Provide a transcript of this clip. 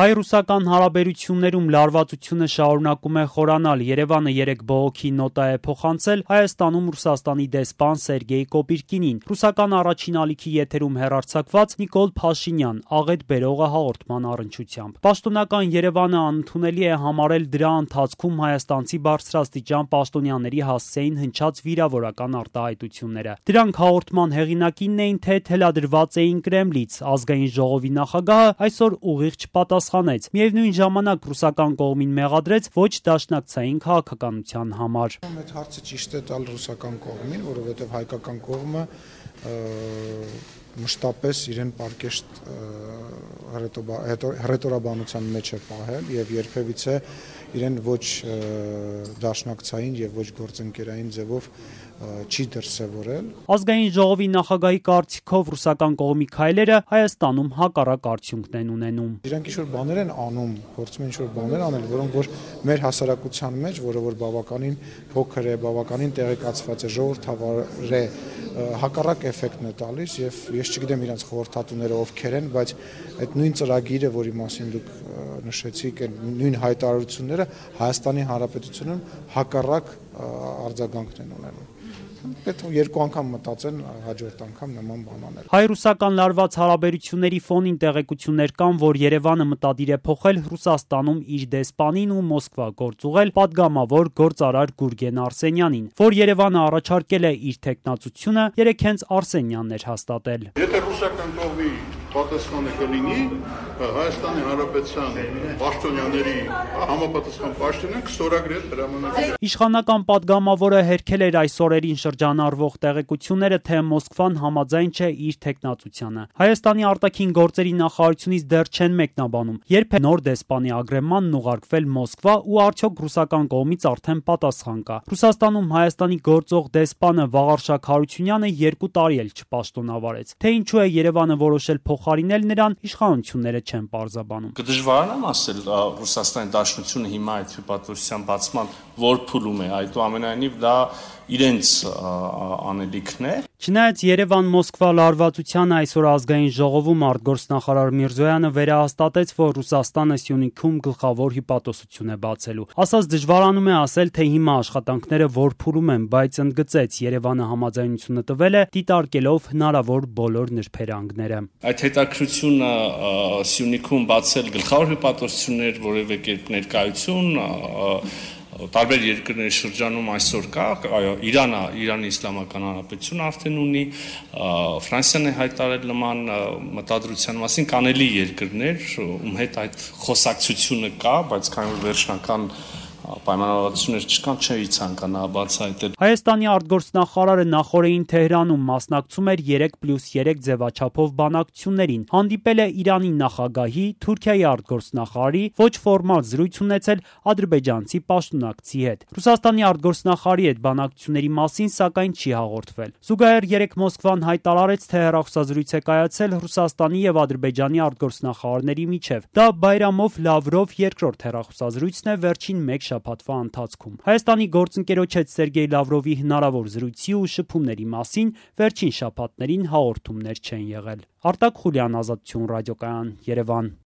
Հայ-ռուսական հարաբերություններում լարվածությունը շարունակում է խորանալ։ Երևանը երեկ բողոքի նոտա է փոխանցել Հայաստանում Ռուսաստանի դեսպան Սերգեյ Կոպիրկինին։ Ռուսական առաջին ալիքի եթերում հեռարձակված Նիկոլ Փաշինյան աղետ բերողը հաղորդման առնչությամբ։ Պաշտոնական Երևանը անընդունելի է համարել դրա ընթացքում հայաստանցի բարձրաստիճան պաշտոնյաների հասցեին հնչած վիրավորական արտահայտությունները։ Դրանք հաղորդման հեղինակինն էին, թե թելադրված էին Կրեմլից։ Ազգային ժողովի նախագահը այսօր ուղիղ չպատասխանեց։ Միևնույն ժամանակ ռուսական կողմին մեղադրեց ոչ դաշնակցային քաղաքականության համար։ Այդ հարցը ճիշտ է տալ ռուսական կողմին, որովհետև հայկական կողմը մշտապես իրեն պարկեշտ հռետորաբանության մեջ է պահել եւ երբևիցե իրեն ոչ դաշնակցային եւ ոչ գործընկերային ձևով չի դրսևորել։ Ազգային ժողովի նախագահի կարծիքով ռուսական կողմի քայլերը Հայաստանում հակառակ արդյունքն են ունենում։ Իրանք ինչ-որ բաներ են անում, փորձում են ինչ-որ բաներ անել, որոնք որ մեր հասարակության մեջ, որը որ բավականին փոքր է, բավականին տեղեկացված է, ժողովրդավար է, հակառակ էֆեկտն է տալիս եւ ես չգիտեմ իրանք խորհրդատուները ովքեր են, բայց այդ նույն ծրագիրը, որի մասին դուք նշեցիք, նույն հայտարարությունները Հայաստանի Հանրապետությունում հակառակ արձագանքն են ունենում։ Պետք է երկու անգամ մտածեն հաջորդ անգամ նման բան անել։ Հայ-ռուսական լարված հարաբերությունների ֆոնին տեղեկություններ կան, որ Երևանը մտադիր է փոխել Ռուսաստանում իր դեսպանին ու Մոսկվա գործուղել падգամավոր գործարար Գուրգեն Արսենյանին, որ Երևանը առաջարկել է իր թեկնածությունը, երեք հենց Արսենյանն էր հաստատել։ Եթե ռուսական կողմի պատասխանը կլինի, Հայաստանի Հանրապետության պաշտոնյաների համապատասխան պաշտոնյան կստորագրել հրամանագրը։ Իշխանական падգամավորը հերքել էր այս օրերին շրջանառվող տեղեկությունները, թե Մոսկվան համաձայն չէ իր թեկնածությանը։ Հայաստանի արտաքին գործերի նախարարությունից դեռ չեն մեկնաբանում, երբ է նոր դեսպանի ագրեմանն ուղարկվել Մոսկվա ու արդյոք ռուսական կողմից արդեն պատասխան կա։ Ռուսաստանում Հայաստանի գործող դեսպանը Վաղարշակ Հարությունյանը 2 տարի էլ չպաշտոնավարեց։ Թե ինչու է Երևանը որոշել փոխարինել նրան, իշխանությունները չեն պարզաբանում։ Կդժվարանամ ասել Ռուսաստանի Դաշնությունը հիմա այդ հյուպատոսության բացման որ փուլում է, այդուամենայնիվ դա իրենց անելիքն է։ Չնայած Երևան-Մոսկվա լարվածությանը այսօր ազգային ժողովում արտգործնախարար Միրզոյանը վերահաստատեց, որ Ռուսաստանը Սյունիքում գլխավոր հյուպատոսություն է բացելու։ Ասած դժվարանում է ասել, թե հիմա աշխատանքները որ փուլում են, բայց ընդգծեց Երևանը համաձայնությունը տվել է, դիտարկելով հնարավոր բոլոր նրբերանգները։ Այդ հետաքրությունը Սյունիքում բացել գլխավոր հյուպատոսություններ որևէ կերպ ներկայություն տարբեր երկրների շրջանում այսօր կա, Իրանի Իսլամական Հանրապետությունը արդեն ունի, Ֆրանսիան է հայտարարել նման մտադրության մասին, կանելի երկրներ, ում հետ այդ խոսակցությունը կա, բայց քանի որ վերջնական պայմանավորվածություններ չկան, չի ցանկանա բացահայտել։ Հայաստանի արտգործնախարարը նախորդին Թեհրանում մասնակցում էր 3+3 ձևաչափով բանակցություններին, հանդիպել է Իրանի նախագահի, Թուրքիայի արտգործնախարարի, ոչ ֆորմալ զրույց ունեցել ադրբեջանցի պաշտոնակցի հետ։ Ռուսաստանի արտգործնախարարի հետ բանակցությունների մասին սակայն չի հաղորդվել։ Զուգահեռ երեկ Մոսկվան հայտարարեց, թե հեռախոսազրույց է կայացել Ռուսաստանի եւ Ադրբեջանի արտգործնախարարների միջև։ Դա Բայրամով Լավրով երկրորդ հեռախոսազրույցն է վերջին 1 շաբաթվա ընթացքում։ Հայաստանի գործընկերոջ հետ Սերգեյ Լավրովի հնարավոր զրույցի ու շփումների մասին վերջին շաբաթներին հաղորդումներ չեն եղել։ Արտակ Խուլյան, Ազատություն ռադիոկայան, Երևան։